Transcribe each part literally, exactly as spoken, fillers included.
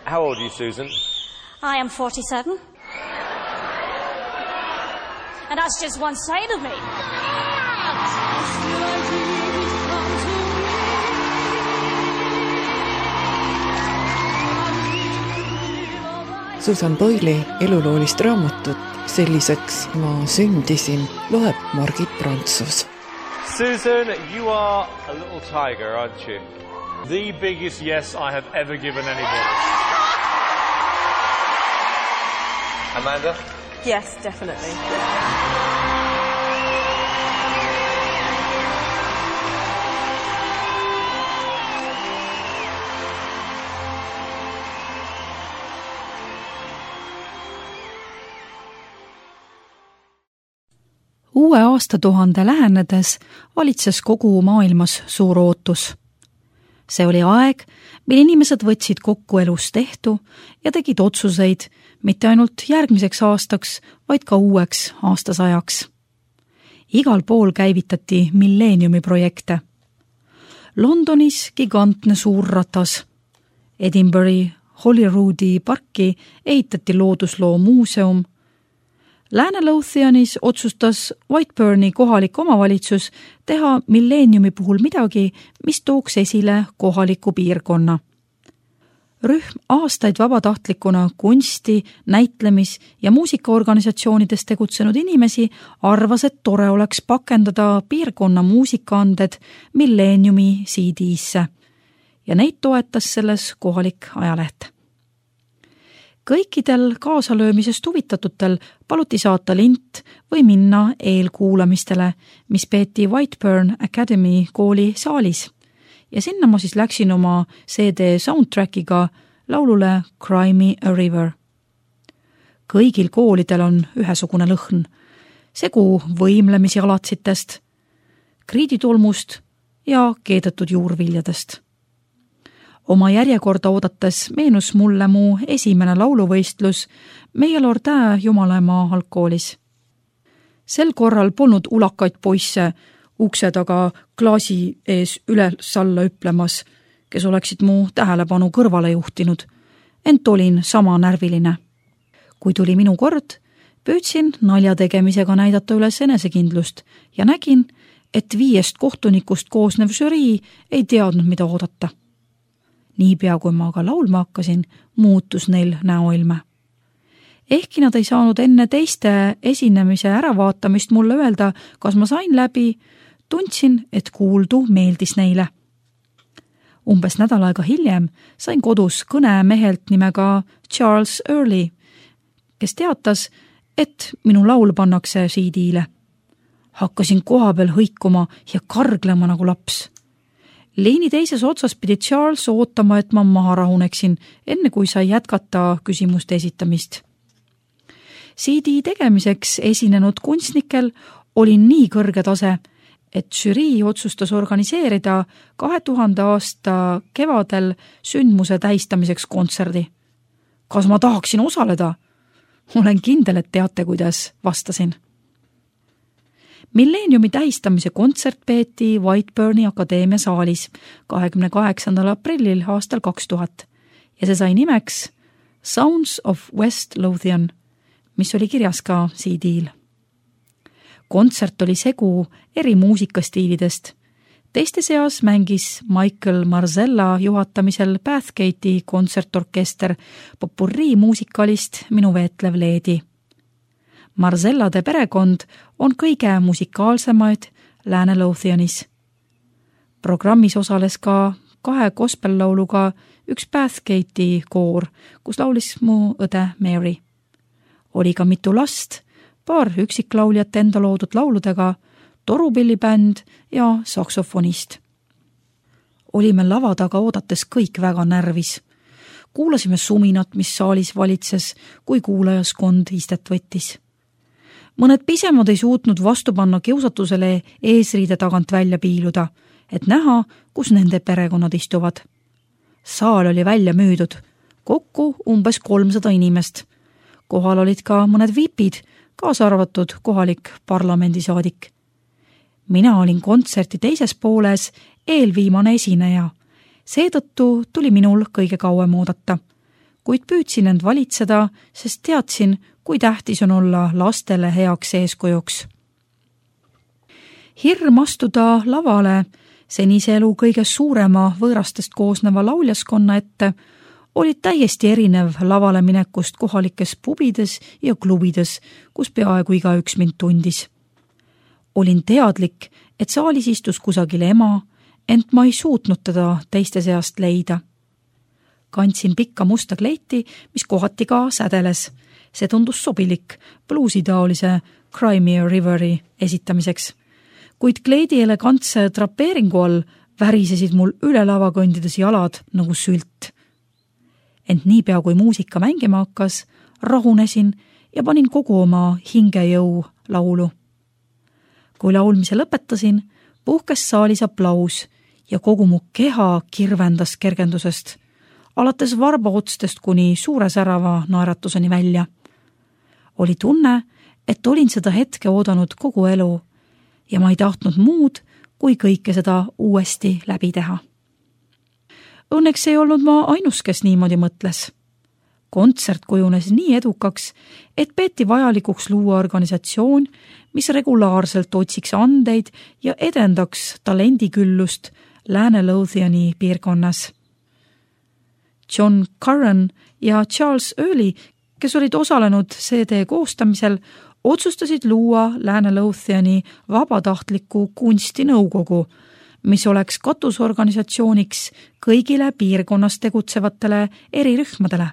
How old are you, Susan? I am forty-seven. And that's just one side of me. Susan Boyle'i eluloolist raamatut Selliseks ma sündisin loeb Margit Prantsus. Susan, you are a little tiger, aren't you? The biggest yes I have ever given anybody. Amanda? Yes, definitely. Uue aastatuhande lähenedes valitses kogu maailmas suur ootus. See oli aeg, mil inimesed võtsid kokku elus tehtu ja tegid otsuseid mitte ainult järgmiseks aastaks, vaid ka uueks aastasajaks. Igal pool käivitati milleeniumi projekte. Londonis gigantne suur ratas. Edinburghi Holyroodi parki ehitati loodusloo muuseum. Lääne-Lothianis otsustas Whiteburni kohalik omavalitsus teha milleeniumi puhul midagi, mis tooks esile kohaliku piirkonna. Rühm aastaid vabatahtlikuna kunsti, näitlemis- ja muusikaorganisatsioonides tegutsenud inimesi arvas, et tore oleks pakendada piirkonna muusikaanded milleeniumi C D-sse ja neid toetas selles kohalik ajaleht. Kõikidel kaasalöömisest huvitatutel paluti saata lint või minna eelkuulamistele, mis peeti Whiteburn Academy kooli saalis. Ja sinna ma siis läksin oma C D soundtrackiga laulule Cry Me a River. Kõigil koolidel on ühesugune lõhn. Segu võimlemisjalatsitest, kriiditulmust ja keedetud juurviljadest. Oma järjekorda oodates meenus mulle mu esimene lauluvõistlus meie Lordää Jumalamaa algkoolis. Sel korral polnud ulakaid poisse ukse taga klaasi ees üles alla ütlemas, kes oleksid mu tähelepanu kõrvale juhtinud, ent olin sama närviline. Kui tuli minu kord, püüdsin nalja tegemisega näidata üles enesekindlust ja nägin, et viiest kohtunikust koosnev žürii ei teadnud, mida oodata. Niipea kui ma aga laulma hakkasin, muutus neil näoilme. Ehkki nad ei saanud enne teiste esinemise äravaatamist mulle öelda, kas ma sain läbi, tundsin, et kuuldu meeldis neile. Umbes nädal aega hiljem sain kodus kõne mehelt nimega Charles Early, kes teatas, et minu laul pannakse C D-le. Hakkasin koha peal hõikuma ja karglema nagu laps. Leini teises otsas pidi Charles ootama, et ma maha rahuneksin, enne kui sai jätkata küsimuste esitamist. C D tegemiseks esinenud kunstnikel oli nii kõrge tase, et žürii otsustas organiseerida kahe tuhande aasta kevadel sündmuse tähistamiseks kontserdi. Kas ma tahaksin osaleda? Olen kindel, et teate, kuidas vastasin. Milleeniumi tähistamise kontsert peeti Whiteburni Akadeemia saalis kahekümne kaheksandal aprillil aastal kaks tuhat ja see sai nimeks Sounds of West Lothian, mis oli kirjas ka C D-l. Kontsert oli segu eri muusikastiilidest. Teiste seas mängis Michael Marzella juhatamisel Bathgate'i kontsertorkester popurrii muusikalist Minu veetlev leedi. Marzellade perekond on kõige musikaalsemaid Lääne-Lothianis. Programmis osales ka kahe gospel-lauluga üks Bathgate'i koor, kus laulis mu õde Mary. Oli ka mitu last, paar üksiklauljat enda loodud lauludega, torupillibänd ja saksofonist. Olime lava taga oodates kõik väga närvis. Kuulasime suminat, mis saalis valitses, kui kuulajaskond istet võttis. Mõned pisemad ei suutnud vastu panna kiusatusele eesriide tagant välja piiluda, et näha, kus nende perekonnad istuvad. Saal oli välja müüdud, kokku umbes kolmsada inimest. Kohal olid ka mõned vipid, kaasa arvatud kohalik parlamendisaadik. Mina olin kontserti teises pooles eelviimane esineja. Seetõttu tuli minul kõige kauem oodata. kuid püüdsin end valitseda, sest teadsin, kui tähtis on olla lastele heaks eeskujuks. Hirm astuda lavale senise elu kõige suurema võõrastest koosneva lauljaskonna ette olid täiesti erinev lavale minekust kohalikes pubides ja klubides, kus peaaegu igaüks mind tundis. Olin teadlik, et saalis istus kusagil ema, ent ma ei suutnud teda teiste seast leida. Kandsin pikka musta kleiti, mis kohati ka sädeles. See tundus sobilik bluusitaolise Crimea Riveri esitamiseks. Kuid kleidi elegantse drapeeringu all värisesid mul üle lava kõndides jalad nagu sült. Ent niipea kui muusika mängima hakkas, rahunesin ja panin kogu oma hingejõu laulu. Kui laulmise lõpetasin, puhkes saalis aplaus ja kogu mu keha kirvendas kergendusest, alates varbaotstest kuni suure särava naeratuseni välja. Oli tunne, et olin seda hetke oodanud kogu elu ja ma ei tahtnud muud, kui kõike seda uuesti läbi teha. Õnneks ei olnud ma ainus, kes niimoodi mõtles. Kontsert kujunes nii edukaks, et peeti vajalikuks luua organisatsioon, mis regulaarselt otsiks andeid ja edendaks talendiküllust Lääne-Lothiani piirkonnas. John Curran ja Charles Early, kes olid osalenud C D koostamisel, otsustasid luua Lääne-Lothiani vabatahtliku kunstinõukogu, mis oleks katusorganisatsiooniks kõigile piirkonnas tegutsevatele erirühmadele,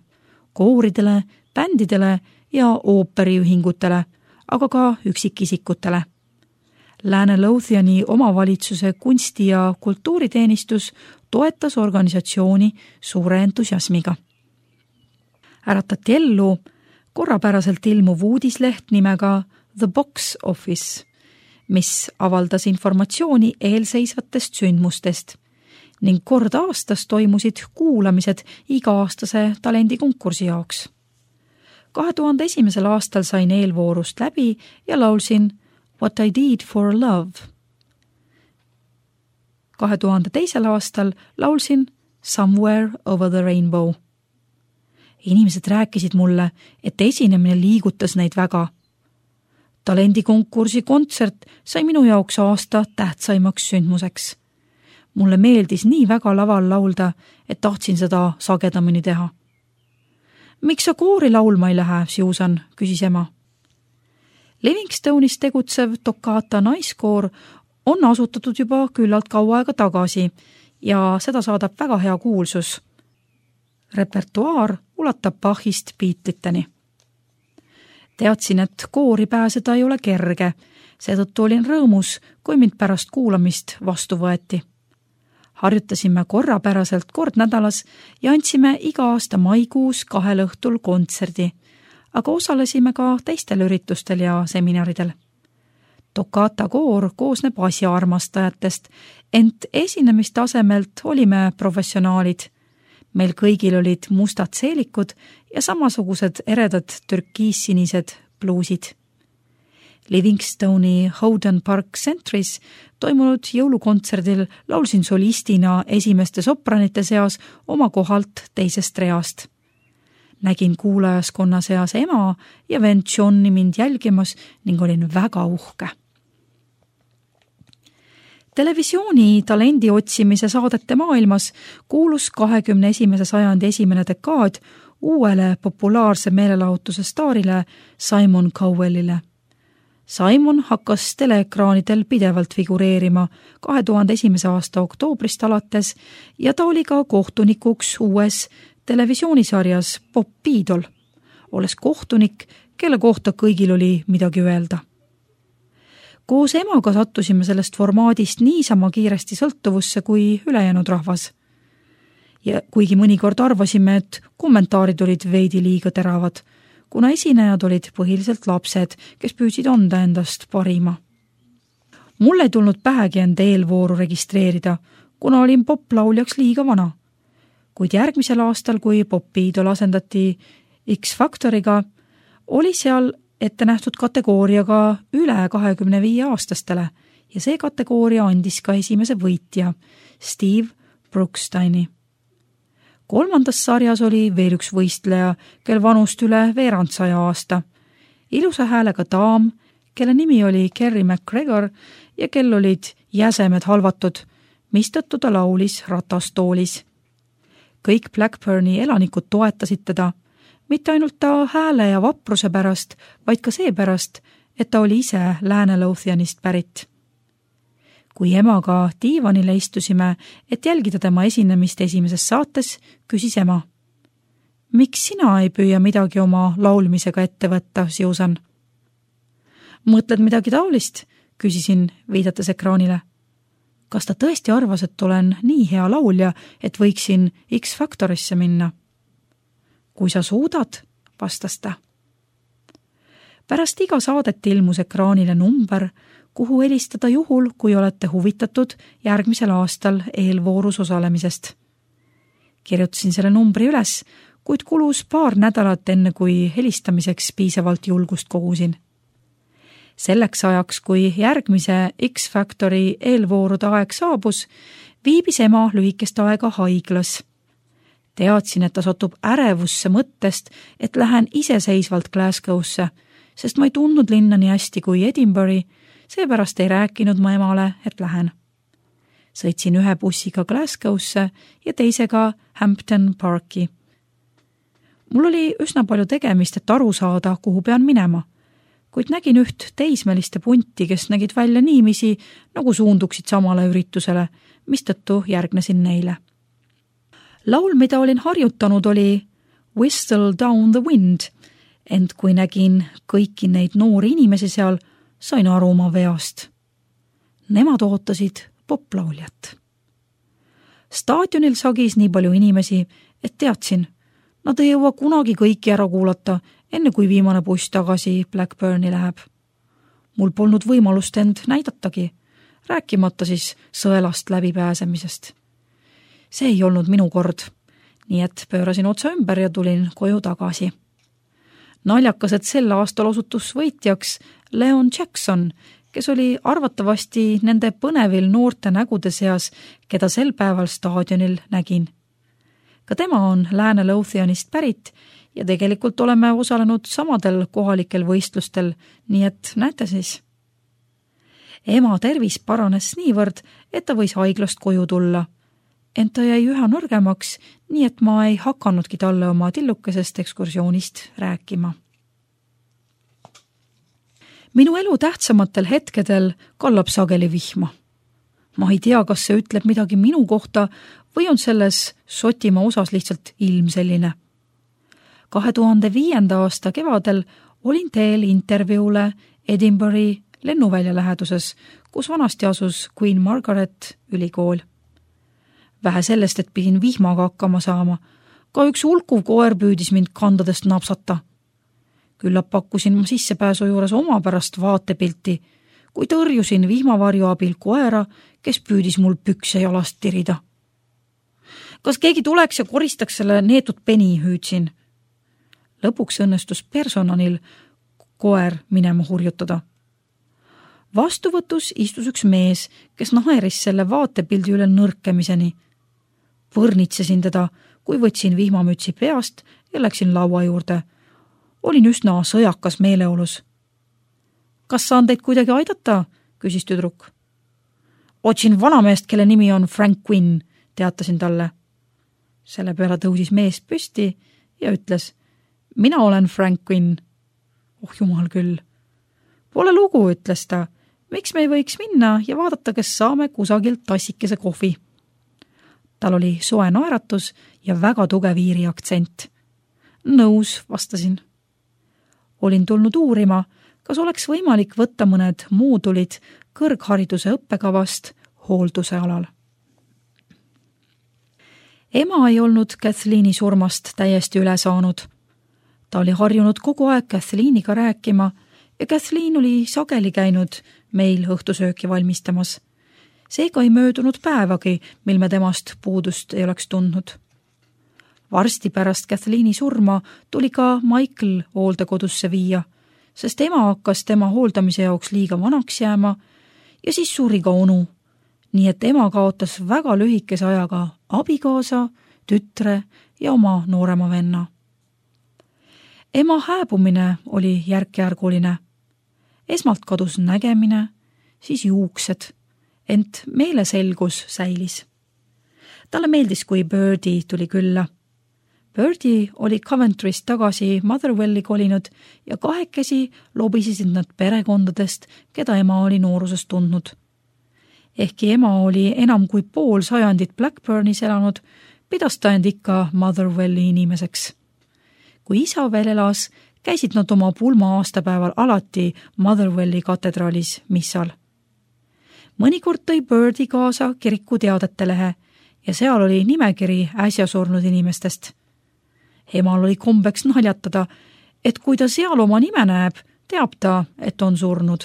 kooridele, bändidele ja ooperiühingutele, aga ka üksikisikutele. Lääne-Lothiani omavalitsuse kunsti- ja kultuuriteenistus toetas organisatsiooni suure entusiasmiga. Äratati ellu korrapäraselt ilmuv uudisleht nimega The Box Office, mis avaldas informatsiooni eelseisvatest sündmustest ning kord aastas toimusid kuulamised iga-aastase talendikonkursi jaoks. kahe tuhande esimesel aastal sain eelvoorust läbi ja laulsin What I Did for Love. kahe tuhande teisel aastal laulsin Somewhere Over the Rainbow. Inimesed rääkisid mulle, et esinemine liigutas neid väga. Talendikonkursi kontsert sai minu jaoks aasta tähtsaimaks sündmuseks. Mulle meeldis nii väga laval laulda, et tahtsin seda sagedamini teha. Miks sa koori laulma ei lähe, Susan, küsis ema. Livingstone'is tegutsev Toccata naiskoor on asutatud juba küllalt kaua aega tagasi ja seda saadab väga hea kuulsus. Repertuaar ulatab Bachist Beatliteni. Teadsin, et koori pääseda ei ole kerge, seetõttu olin rõõmus, kui mind pärast kuulamist vastu võeti. Harjutasime korrapäraselt kord nädalas ja andsime iga aasta maikuus kahel õhtul kontserdi, aga osalesime ka teistel üritustel ja seminaridel. Toccata koor koosneb asjaarmastajatest, ent esinemistasemelt olime professionaalid. Meil kõigil olid mustad seelikud ja samasugused eredad türkiissinised bluusid. Livingstone'i Howden Park Centris toimunud jõulukontserdil laulsin solistina esimeste sopranite seas oma kohalt teisest reast. Nägin kuulajaskonna seas ema ja vend Johni mind jälgimas ning olin väga uhke. Televisiooni talendi otsimise saadete maailmas kuulus kahekümne esimese sajandi esimene dekaad uuele populaarse meelelahutuse staarile Simon Cowellile. Simon hakkas teleekraanidel pidevalt figureerima kahe tuhande esimese aasta oktoobrist alates ja ta oli ka kohtunikuks uues televisioonisarjas Bob Beadle, olles kohtunik, kelle kohta kõigil oli midagi öelda. Koos emaga sattusime sellest formaadist niisama kiiresti sõltuvusse kui ülejäänud rahvas. Ja kuigi mõnikord arvasime, et kommentaarid olid veidi liiga teravad, kuna esinejad olid põhiliselt lapsed, kes püüdsid anda endast parima. Mul ei tulnud pähegi end eelvooru registreerida, kuna olin poplauljaks liiga vana. Kuid järgmisel aastal, kui Bob Beadle asendati X-Factoriga, oli seal ette nähtud kategooriaga üle kahekümne viie aastastele ja see kategooria andis ka esimese võitja, Steve Brooksteini. kolmandas sarjas oli veel üks võistleja, kel vanust üle veerandsaja aasta. Ilusa häälega daam, kelle nimi oli Kerry McGregor ja kel olid jäsemed halvatud, mistõttu ta laulis ratastoolis. Kõik Blackburni elanikud toetasid teda, mitte ainult ta hääle ja vapruse pärast, vaid ka see pärast, et ta oli ise Lääne-Lothianist pärit. Kui emaga diivanile istusime, et jälgida tema esinemist esimeses saates, küsis ema. Miks sina ei püüa midagi oma laulmisega ette võtta, Susan? Mõtled midagi taolist? Küsisin, viidates ekraanile. Kas ta tõesti arvas, et olen nii hea laulja, et võiksin X-Factorisse minna? Kui sa suudad, vastas ta. Pärast iga saadet ilmus ekraanile number, kuhu helistada juhul, kui olete huvitatud järgmisel aastal eelvoorus osalemisest. Kirjutasin selle numbri üles, kuid kulus paar nädalat enne, kui helistamiseks piisavalt julgust kogusin. Selleks ajaks, kui järgmise X-Factori eelvoorude aeg saabus, viibis ema lühikest aega haiglas. Teadsin, et ta satub ärevusse mõttest, et lähen iseseisvalt Glasgow'sse, sest ma ei tundnud linna nii hästi kui Edinburgh, seepärast ei rääkinud ma emale, et lähen. Sõitsin ühe bussiga Glasgow'sse ja teisega Hampton Parki. Mul oli üsna palju tegemist, et aru saada, kuhu pean minema, kuid nägin üht teismeliste punti, kes nägid välja niimisi, nagu suunduksid samale üritusele, mistõttu järgnesin neile. Laul, mida olin harjutanud, oli Whistle Down the Wind, ent kui nägin kõiki neid noori inimesi seal, sain aru oma veast. Nemad ootasid poplauljat. Staadionil sagis nii palju inimesi, et teadsin, nad ei jõua kunagi kõiki ära kuulata, enne kui viimane buss tagasi Blackburni läheb. Mul polnud võimalust end näidatagi, rääkimata siis sõelast läbipääsemisest. See ei olnud minu kord, nii et pöörasin otsa ümber ja tulin koju tagasi. Naljakas, et sel aastal osutus võitjaks Leon Jackson, kes oli arvatavasti nende põnevil noorte nägude seas, keda sel päeval staadionil nägin. Ka tema on Lääne-Lothianist pärit ja tegelikult oleme osalenud samadel kohalikel võistlustel, nii et näete siis. Ema tervis paranes niivõrd, et ta võis haiglast koju tulla, ent ta jäi üha nõrgemaks, nii et ma ei hakannudki talle oma tillukesest ekskursioonist rääkima. Minu elu tähtsamatel hetkedel kallab sageli vihma. Ma ei tea, kas see ütleb midagi minu kohta või on selles Šotimaa osas lihtsalt ilm selline. kahe tuhande viienda aasta kevadel olin teel intervjuule Edinburgh lennuvälja läheduses, kus vanasti asus Queen Margaret ülikool. Vähe sellest, et pidin vihmaga hakkama saama, ka üks hulkuv koer püüdis mind kandadest napsata. Küllap pakkusin ma sissepääsu juures oma pärast vaatepilti, kui tõrjusin vihmavarju abil koera, kes püüdis mul pükse jalast tirida. Kas keegi tuleks ja koristaks selle neetud peni, hüüdsin. Lõpuks õnnestus personalil koer minema hurjutada. Vastuvõtus istus üks mees, kes naeris selle vaatepildi üle nõrkemiseni. Võrnitsesin teda, kui võtsin vihmamütsi peast ja läksin laua juurde. Olin üsna sõjakas meeleolus. Kas saan teid kuidagi aidata? Küsis tüdruk. Otsin vanameest, kelle nimi on Frank Quinn, teatasin talle. Selle peale tõusis mees püsti ja ütles, mina olen Frank Quinn. Oh jumal küll. Pole lugu, ütles ta. Miks me ei võiks minna ja vaadata, kes saame kusagilt tassikese kohvi? Tal oli soe naeratus ja väga tugev iiri aktsent. Nõus, vastasin. Olin tulnud uurima, kas oleks võimalik võtta mõned moodulid kõrghariduse õppekavast hoolduse alal. Ema ei olnud Kathleeni surmast täiesti üle saanud. Ta oli harjunud kogu aeg Kathleeniga rääkima ja Kathleen oli sageli käinud meil õhtusööki valmistamas. Seega ei möödunud päevagi, mil me temast puudust ei oleks tundnud. Varsti pärast Kathleeni surma tuli ka Michael hooldekodusse viia, sest ema hakkas tema hooldamise jaoks liiga vanaks jääma ja siis suri ka onu, nii et ema kaotas väga lühikese ajaga abikaasa, tütre ja oma noorema venna. Ema hääbumine oli järk-järguline. Esmalt kadus nägemine, siis juuksed, ent meeleselgus säilis. Talle meeldis, kui Birdie tuli külla. Birdie oli Coventryst tagasi Motherwelli kolinud ja kahekesi lobisesid nad perekondadest, keda ema oli noorusest tundnud. Ehkki ema oli enam kui pool sajandit Blackburnis elanud, pidas ta end ikka Motherwelli inimeseks. Kui isa veel elas, käisid nad oma pulma aastapäeval alati Motherwelli katedraalis missal. Mõnikord tõi Birdie kaasa kiriku teadete lehe ja seal oli nimekiri äsja surnud inimestest. Emal oli kombeks naljatada, et kui ta seal oma nime näeb, teab ta, et on surnud.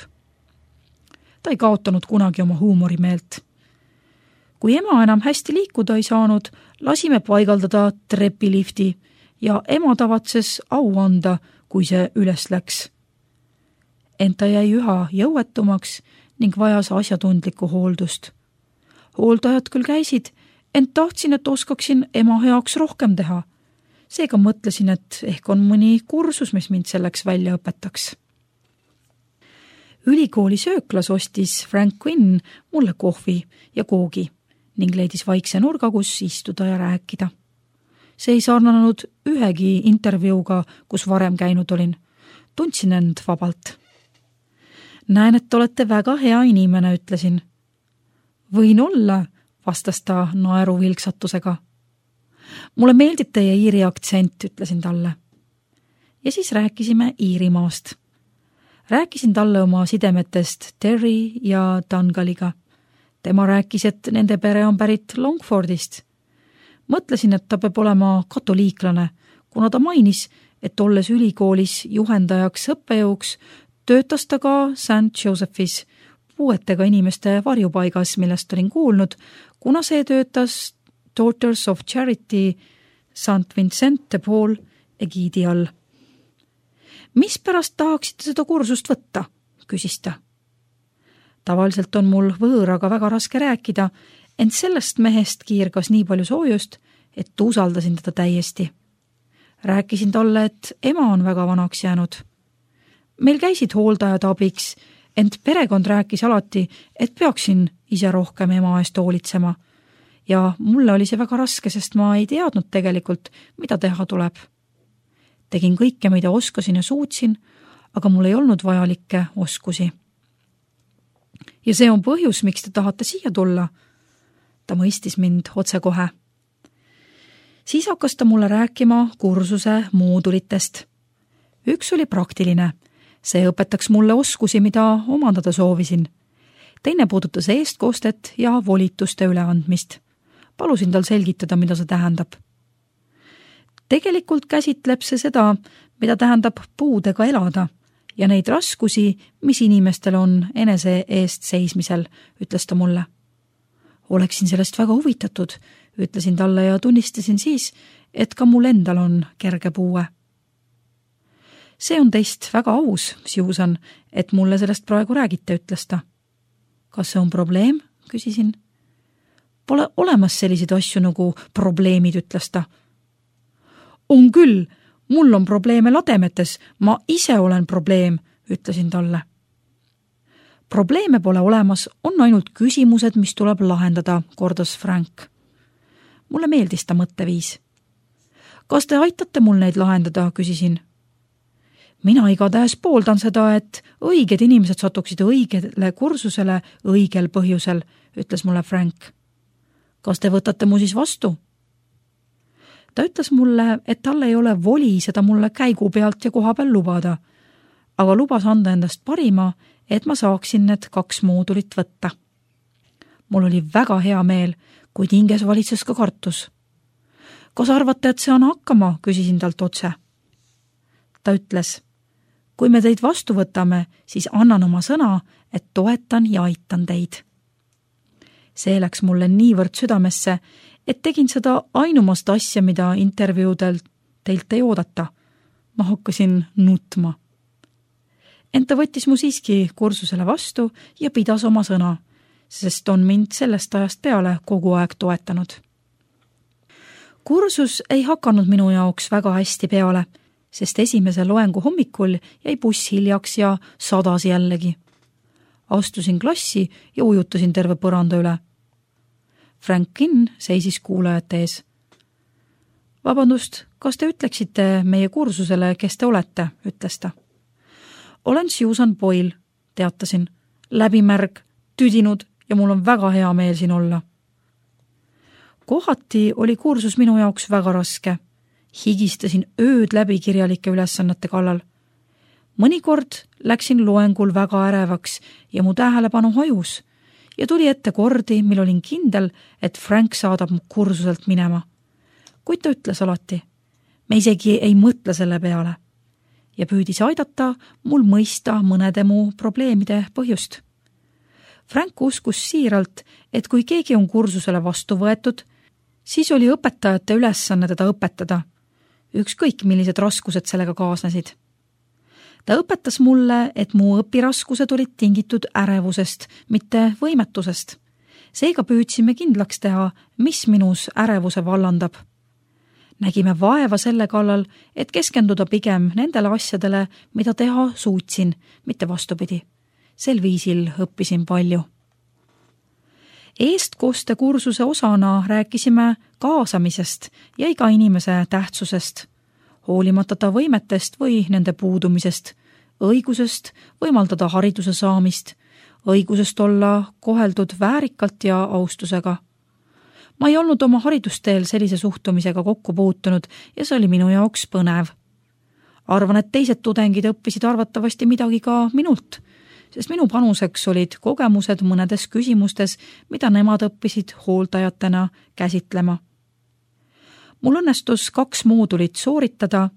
Ta ei kaotanud kunagi oma huumorimeelt. Kui ema enam hästi liikuda ei saanud, lasime paigaldada trepilifti ja ema tavatses au anda, kui see üles läks. Ent ta jäi üha jõuetumaks ning vajas asjatundlikku hooldust. Hooldajad küll käisid, ent tahtsin, et oskaksin ema heaks rohkem teha. Seega mõtlesin, et ehk on mõni kursus, mis mind selleks välja õpetaks. Ülikooli sööklas ostis Frank Quinn mulle kohvi ja koogi ning leidis vaikse nurga, kus istuda ja rääkida. See ei sarnanud ühegi intervjuuga, kus varem käinud olin. Tundsin end vabalt. Näen, et olete väga hea inimene, ütlesin. Võin olla, vastas ta naeru vilksatusega. Mulle meeldib teie iiri aktsent, ütlesin talle. Ja siis rääkisime Iirimaast. Rääkisin talle oma sidemetest Terry ja Dungaliga. Tema rääkis, et nende pere on pärit Longfordist. Mõtlesin, et ta peab olema katoliiklane, kuna ta mainis, et olles ülikoolis juhendajaks õppejõuks, töötas ta ka Saint Josephis, puuetega inimeste varjupaigas, millest olin kuulnud, kuna see töötas Daughters of Charity Saint Vincent de Paul egiidi all. Mis pärast tahaksite seda kursust võtta, küsis ta. Tavaliselt on mul võõraga väga raske rääkida, ent sellest mehest kiirgas nii palju soojust, et usaldasin teda täiesti. Rääkisin talle, et ema on väga vanaks jäänud. Meil käisid hooldajad abiks, ent perekond rääkis alati, et peaksin ise rohkem ema eest hoolitsema. Ja mulle oli see väga raske, sest ma ei teadnud tegelikult, mida teha tuleb. Tegin kõike, mida oskasin ja suutsin, aga mul ei olnud vajalikke oskusi. Ja see on põhjus, miks te tahate siia tulla. Ta mõistis mind otsekohe. Siis hakkas ta mulle rääkima kursuse moodulitest. Üks oli praktiline. See õpetaks mulle oskusi, mida omandada soovisin. Teine puudutas eestkoostet ja volituste üleandmist. Palusin tal selgitada, mida see tähendab. Tegelikult käsitleb see seda, mida tähendab puudega elada ja neid raskusi, mis inimestel on enese eest seismisel, ütles ta mulle. Oleksin sellest väga huvitatud, ütlesin talle ja tunnistasin siis, et ka mul endal on kerge puue. See on teist väga aus, Susan, et mulle sellest praegu räägite, ütles ta. Kas see on probleem, küsisin. Pole olemas selliseid asju nagu probleemid, ütles ta. On küll, mul on probleeme lademetes, ma ise olen probleem, ütlesin talle. Probleeme pole olemas, on ainult küsimused, mis tuleb lahendada, kordas Frank. Mulle meeldis ta mõtteviis. Kas te aitate mul neid lahendada, küsisin. Mina igatahes pooldan seda, et õiged inimesed satuksid õigele kursusele õigel põhjusel, ütles mulle Frank. Kas te võtate mu siis vastu? Ta ütles mulle, et tal ei ole voli seda mulle käigu pealt ja koha peal lubada, aga lubas anda endast parima, et ma saaksin need kaks moodulit võtta. Mul oli väga hea meel, kuid hinges valitses ka kartus. Kas arvate, et see on hakkama, küsisin talt otse. Ta ütles, kui me teid vastu võtame, siis annan oma sõna, et toetan ja aitan teid. See läks mulle niivõrd südamesse, et tegin seda ainumast asja, mida intervjuudel teilt ei oodata. Ma hakkasin nutma. Ent ta võttis mu siiski kursusele vastu ja pidas oma sõna, sest on mind sellest ajast peale kogu aeg toetanud. Kursus ei hakanud minu jaoks väga hästi peale, sest esimese loengu hommikul jäi buss hiljaks ja sadas jällegi. Astusin klassi ja ujutasin terve põranda üle. Franklin seisis kuulajate ees. Vabandust, kas te ütleksite meie kursusele, kes te olete, ütles ta. Olen Susan Boyle, teatasin. Läbimärg, tüdinud ja mul on väga hea meel siin olla. Kohati oli kursus minu jaoks väga raske. Higistasin ööd läbi kirjalike ülesannete kallal. Mõnikord läksin loengul väga ärevaks ja mu tähelepanu hajus ja tuli ette kordi, mil olin kindel, et Frank saadab mu kursuselt minema. Kuid ta ütles alati, me isegi ei mõtle selle peale ja püüdis aidata mul mõista mõnede mu probleemide põhjust. Frank uskus siiralt, et kui keegi on kursusele vastu võetud, siis oli õpetajate ülesanne teda õpetada, ükskõik millised raskused sellega kaasnesid. Ta õpetas mulle, et mu õpiraskused olid tingitud ärevusest, mitte võimetusest. Seega püüdsime kindlaks teha, mis minus ärevuse vallandab. Nägime vaeva selle kallal, et keskenduda pigem nendele asjadele, mida teha suutsin, mitte vastupidi. Sel viisil õppisin palju. Eestkoste kursuse osana rääkisime kaasamisest ja iga inimese tähtsusest, hoolimata ta võimetest või nende puudumisest, õigusest võimaldada hariduse saamist, õigusest olla koheldud väärikalt ja austusega. Ma ei olnud oma haridusteel sellise suhtumisega kokku puutunud ja see oli minu jaoks põnev. Arvan, et teised tudengid õppisid arvatavasti midagi ka minult, sest minu panuseks olid kogemused mõnedes küsimustes, mida nemad õppisid hooldajatena käsitlema. Mul õnnestus kaks moodulit sooritada,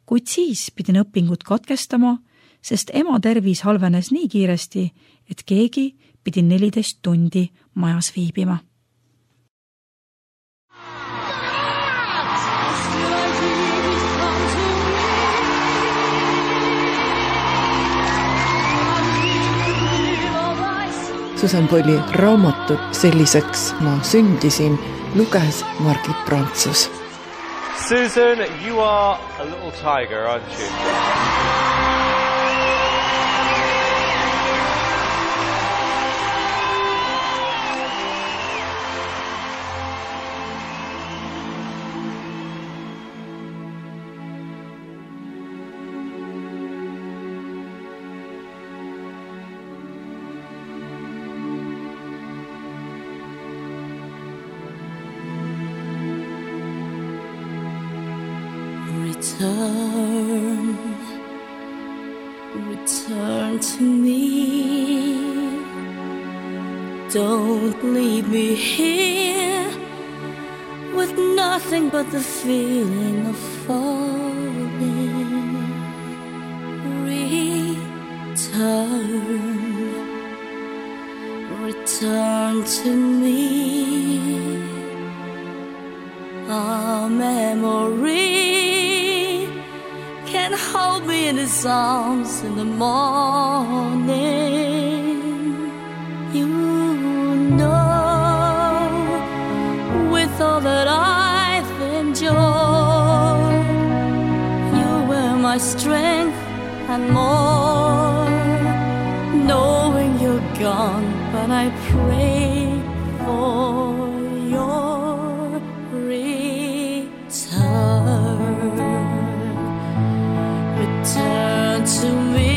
kuid siis pidin õpingud katkestama, sest ema tervis halvenes nii kiiresti, et keegi pidi neliteist tundi majas viibima. Susan Boyle'i raamatut Selliseks ma sündisin luges Margit Prantsus. Susan, you are a little tiger, aren't you? Return, return to me. Don't leave me here with nothing but the feeling of falling. Return, return to me. A memory can hold me in his arms in the morning. You know, with all that I've enjoyed, you were my strength and more. Knowing you're gone, but I pray for your return. Return to me.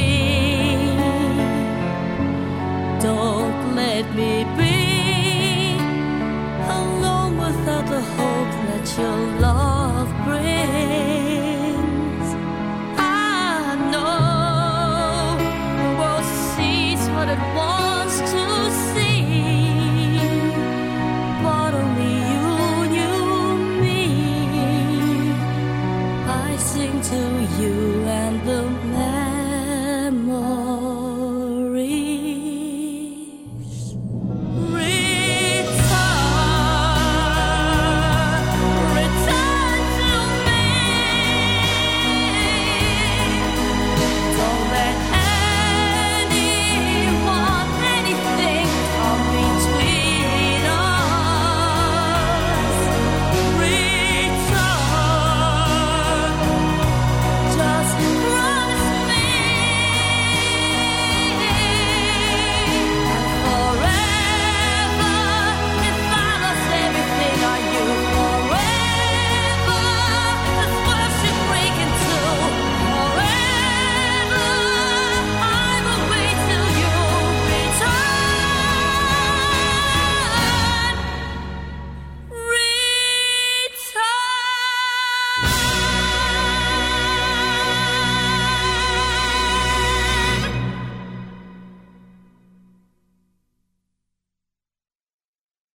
Don't let me be alone without the hope that your love brings. I know the world sees what it wants to see, but only you knew me. I sing to you and the